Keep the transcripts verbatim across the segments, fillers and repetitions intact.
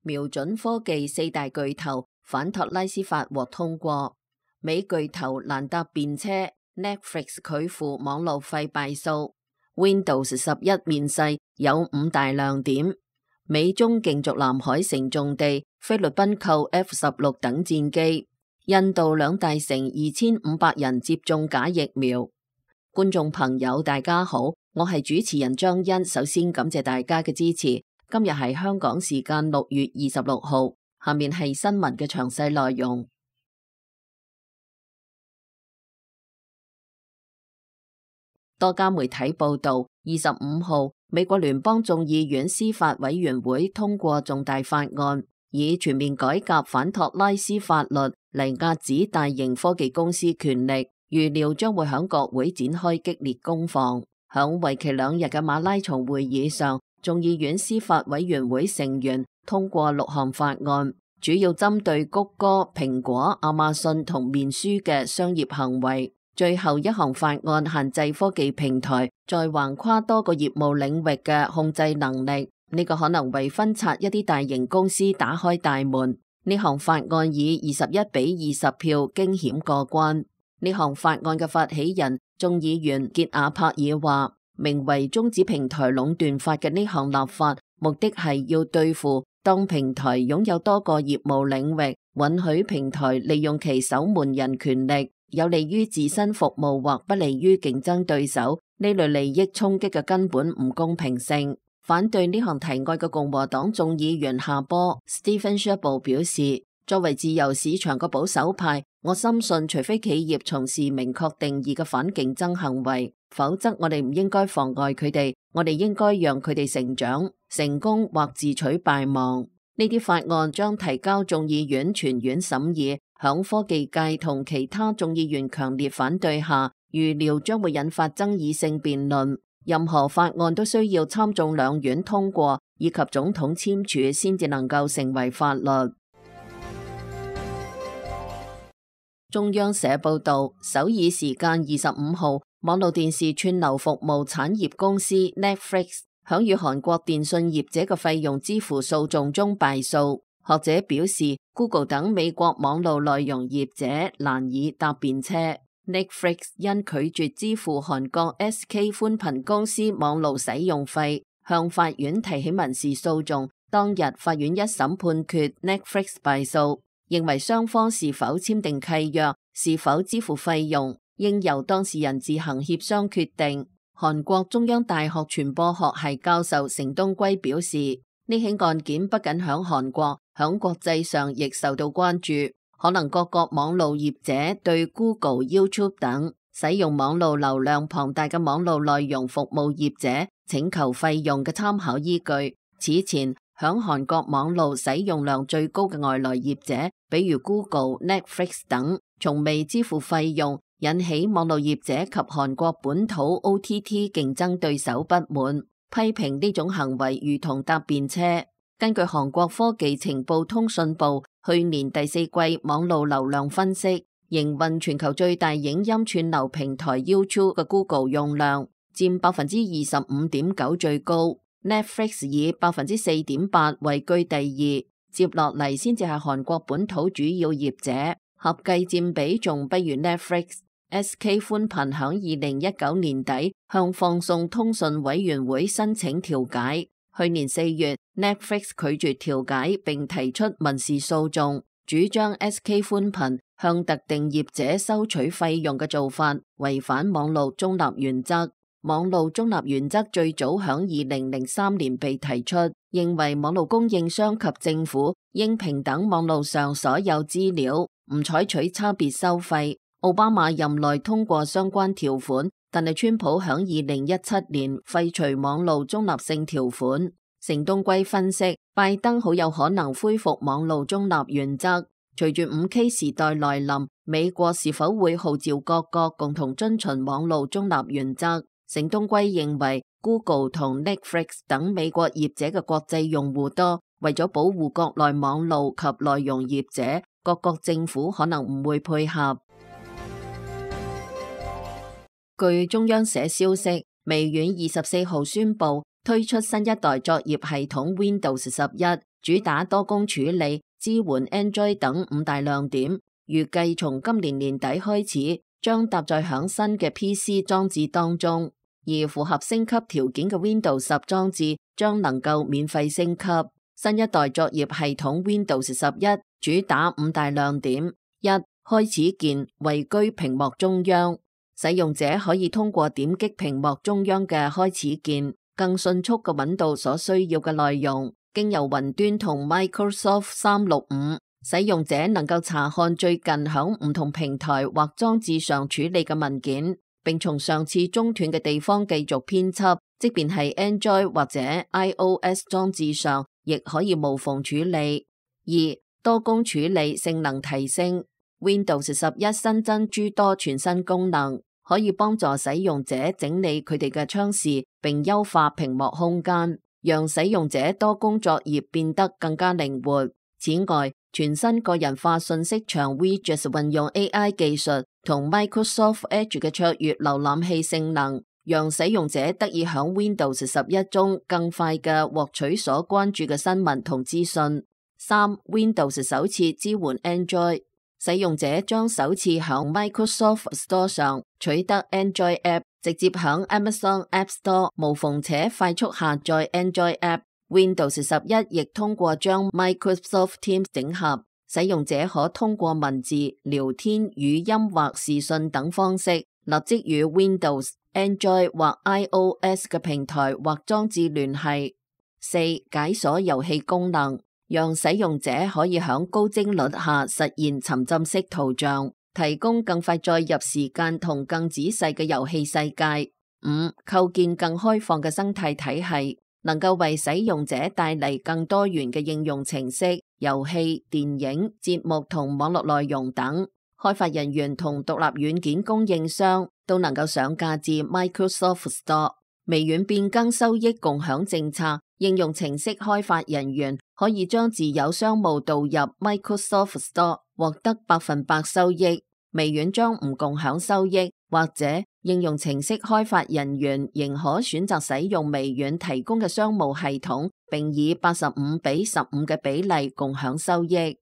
瞄準科技四大巨頭反托拉斯法獲通過。美巨頭蘭達辯車 Netflix 拒付網路費敗訴。Windows 十一面世有五大亮點。美中競逐南海城重地，菲律賓購 F 十六等戰機。印度兩大城二千五百人接種假疫苗。觀眾朋友大家好，我係主持人張欣，首先感謝大家嘅支持。今日係香港時間六月二十六號，下面係新聞嘅詳細內容。多家媒體報道，二十五號，美國聯邦眾議院司法委員會通過重大法案，以全面改革反托拉斯法律嚟遏止大型科技公司權力，預料將會響國會展開激烈攻防。響為期兩日嘅馬拉松會議上，眾議院司法委員會成員通過六項法案，主要針對谷歌、蘋果、亞馬遜同面書嘅商業行為。最後一項法案限制科技平台在橫跨多個業務領域嘅控制能力，呢個可能為分拆一啲大型公司打開大門。呢項法案以二十一比二十票驚險過關。呢項法案嘅發起人眾議員傑亞帕爾話，名為終止平台壟斷法嘅呢項立法，目的係要對付當平台擁有多個業務領域，允許平台利用其守門人權力，有利於自身服務或不利於競爭對手，呢類利益衝擊嘅根本唔公平性。反對呢項提案嘅共和黨眾議員夏波 Stephen Chabot 表示，作為自由市場嘅保守派，我深信除非企業從事明確定義嘅反競爭行為，否則我哋唔應該妨礙佢哋，我哋應該讓佢哋成長、成功或自取敗亡。呢啲法案將提交眾議院全院審議，響科技界同其他眾議員強烈反對下，預料將會引發爭議性辯論。任何法案都需要參眾兩院通過以及總統簽署先至能夠成為法律。中央社報道，首爾時間二十五號，網絡電視串流服務產業公司 Netflix 響與韓國電信業者嘅費用支付訴訟中敗訴。學者表示 ，Google 等美國網絡內容業者難以搭便車。Netflix 因拒絕支付韓國 S K 寬頻公司網絡使用費，向法院提起民事訴訟。當日法院一審判決 Netflix 敗訴，認為雙方是否簽訂契約、是否支付費用，應由當事人自行協商決定。韓國中央大學傳播學系教授成東圭表示，呢起案件不僅響韓國，響國際上亦受到關注。可能各國網路業者對 Google、YouTube 等使用網路流量龐大嘅網路內容服務業者請求費用嘅參考依據。此前響韓國網路使用量最高嘅外來業者，比如 Google、Netflix 等，從未支付費用，引起網路業者及韓國本土 O T T 競爭對手不滿，批評呢種行為如同搭便車。根據韓國科技情報通訊部去年第四季網路流量分析，營運全球最大影音串流平台 YouTube 嘅 Google 用量佔百分之二十五點九最高。Netflix 以百分之四點八位居第二，接落嚟先至係韓國本土主要業者，合計佔比仲不如 Netflix。S K 寬頻響二零一九年底向放送通訊委員會申請調解，去年四月 Netflix 拒絕調解並提出民事訴訟，主張 S K 寬頻向特定業者收取費用嘅做法違反網絡中立原則。網絡中立原則最早響二零零三年被提出，認為網絡供應商及政府應平等網絡上所有資料，唔採取差別收費。奧巴馬任內通過相關條款，但係川普響二零一七年廢除網絡中立性條款。成東圭分析，拜登好有可能恢復網絡中立原則。隨住五 K 時代來臨，美國是否會號召各國共同遵循網絡中立原則？成東圭認為 Google 同 Netflix 等美國業者嘅國際用戶多，為咗保護國內網絡及內容業者，各國政府可能唔會配合。據中央社消息，微軟二十四號宣布推出新一代作業系統 Windows 十一，主打多工處理、支援 Android 等五大亮點。預計從今年年底開始，將搭載響新嘅 P C 裝置當中，而符合升級條件嘅 Windows 十裝置將能夠免費升級。新一代作業系統 Windows 十一主打五大亮點：一、開始鍵位居屏幕中央，使用者可以通過點擊屏幕中央嘅開始鍵，更迅速嘅揾到所需要嘅內容。經由雲端同 Microsoft 三六五，使用者能夠查看最近響唔同平台或裝置上處理嘅文件，並從上次中斷嘅地方繼續編輯，即便係 Android 或者 iOS 裝置上，亦可以無縫處理。二、多工處理性能提升， Windows 十一新增諸多全新功能，可以幫助使用者整理佢哋嘅窗視，並優化屏幕空間，讓使用者多工作業變得更加靈活。此外，全新個人化信息牆 Widgets 運用 A I 技術同 Microsoft Edge 嘅卓越瀏覽器性能，讓使用者得以響 Windows 十一中更快嘅獲取所關注嘅新聞同資訊。三、Windows 首次支援 Android， 使用者將首次響 Microsoft Store 上取得 Android App， 直接響 Amazon App Store 無縫且快速下載 Android App。Windows 十一亦通過將 Microsoft Teams 整合，使用者可通過文字、聊天、語音或視訊等方式，立即與 Windows、Android 或 iOS 嘅平台或裝置聯繫。四、解鎖遊戲功能，讓使用者可以響高幀率下實現沉浸式圖像，提供更快載入時間同更仔細嘅遊戲世界。五、構建更開放嘅生態體系，能夠為使用者帶嚟更多元嘅應用程式、遊戲、電影、節目同網絡內容等。開發人員同獨立軟件供應商都能夠上架至 Microsoft Store。微軟變更收益共享政策，應用程式開發人員可以將自有商務導入 Microsoft Store，獲得百分百收益。微軟將唔共享收益，或者應用程式開發人員仍可選擇使用微軟提供嘅商務系統，並以八十五比十五嘅比例共享收益。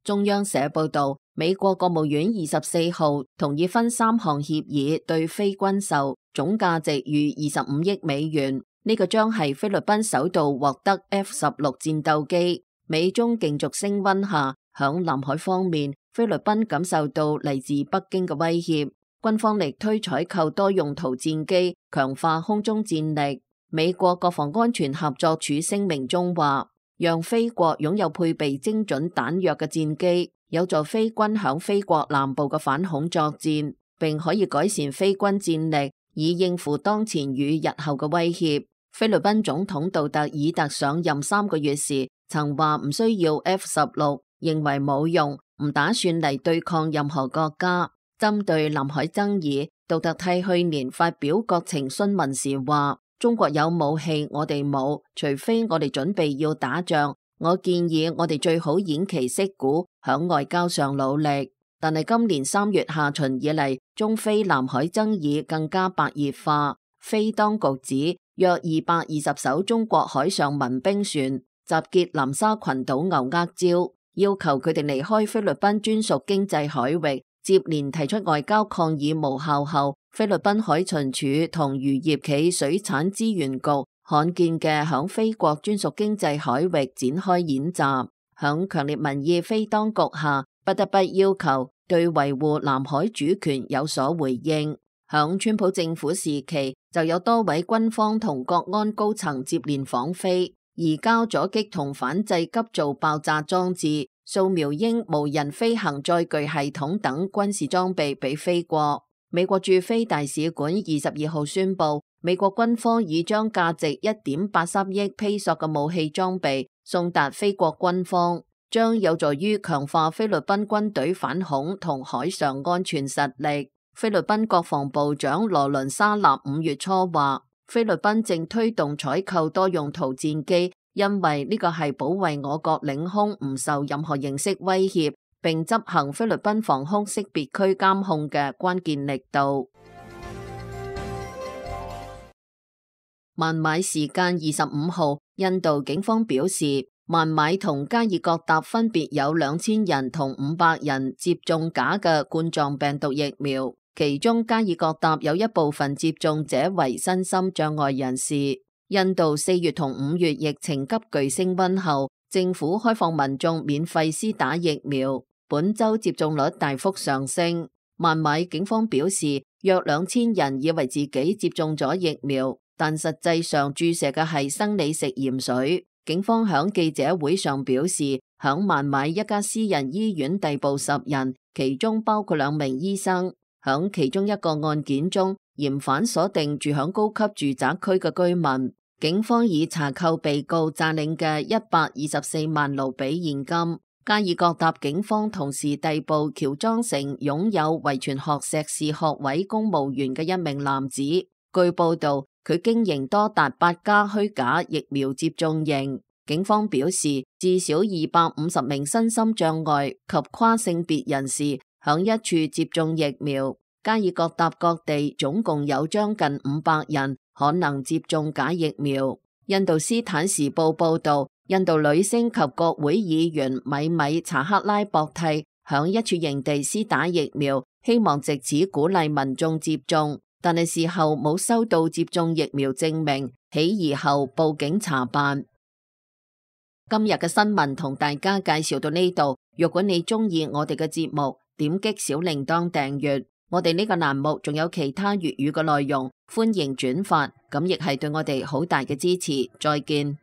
中央社報道，美國國務院二十四號同意分三項協議對菲軍售，總價值逾二十五億美元。呢個將係菲律賓首度獲得 F 十六戰鬥機。美中競逐升溫下，響南海方面，菲律賓感受到嚟自北京嘅威脅，軍方力推採購多用途戰機，強化空中戰力。美國國防安全合作處聲明中話，讓菲國擁有配備精準彈藥嘅戰機，有助菲軍響菲國南部嘅反恐作戰，並可以改善菲軍戰力，以應付當前與日後嘅威脅。菲律賓總統杜特爾特上任三個月時，曾話唔需要 F 十六，認為冇用，唔打算嚟對抗任何國家。針對南海爭議，杜特替去年發表國情詢問時話，中國有武器，我哋冇，除非我哋準備要打仗。我建議我哋最好偃旗息鼓，響外交上努力。但係今年三月下旬以嚟，中菲南海爭議更加白熱化。菲當局指，約二百二十艘中國海上民兵船集結南沙群島牛軛礁，要求佢哋離開菲律賓專屬經濟海域。接連提出外交抗議無效後，菲律賓海巡署同漁業暨水產資源局罕見嘅響菲國專屬經濟海域展開演習，響強烈民意菲當局下，不得不要求對維護南海主權有所回應。響川普政府時期，就有多位軍方同國安高層接連訪菲，移交咗擊同反制急造爆炸裝置、掃描鷹無人飛行載具系統等軍事裝備俾菲國。美國駐菲大使館二十二號宣布，美國軍方已將價值一點八三億披索嘅武器裝備送達菲國軍方，將有助於強化菲律賓軍隊反恐同海上安全實力。菲律賓國防部長羅倫沙納五月初話，菲律賓正推動採購多用途戰機，因為呢個係保衛我國領空唔受任何形式威脅，並執行菲律賓防空識別區監控嘅關鍵力度。孟買時間二十五號，印度警方表示，孟買同加爾各答分別有兩千人同五百人接種假嘅冠狀病毒疫苗，其中加爾各答有一部分接種者為身心障礙人士。印度四月同五月疫情急劇升溫後，政府開放民眾免費施打疫苗，本周接種率大幅上升。孟買警方表示，約兩千人以為自己接種咗疫苗，但實際上注射嘅係生理食鹽水。警方響記者會上表示，響孟買一家私人醫院逮捕十人，其中包括兩名醫生。響其中一個案件中，嫌犯鎖定住響高級住宅區嘅居民。警方已查扣被告詐領嘅一百二十四萬盧比現金。加爾各答警方同時逮捕喬裝成擁有遺傳學碩士學位公務員嘅一名男子。據報道，佢經營多達八家虛假疫苗接種營。警方表示，至少二百五十名身心障礙及跨性別人士響一處接種疫苗。加爾各答各地總共有將近五百人可能接種假疫苗。印度斯坦時報報道，印度女星及國會議員米米查克拉博蒂響一處營地施打疫苗，希望借此鼓勵民眾接種，但係事後冇收到接種疫苗證明，起疑後報警查辦。今日嘅新聞同大家介紹到呢度，若果你中意我哋嘅節目，點擊小鈴鐺訂閱。我哋呢個欄目仲有其他粵語嘅內容，歡迎轉發，咁亦係對我哋好大嘅支持。再見。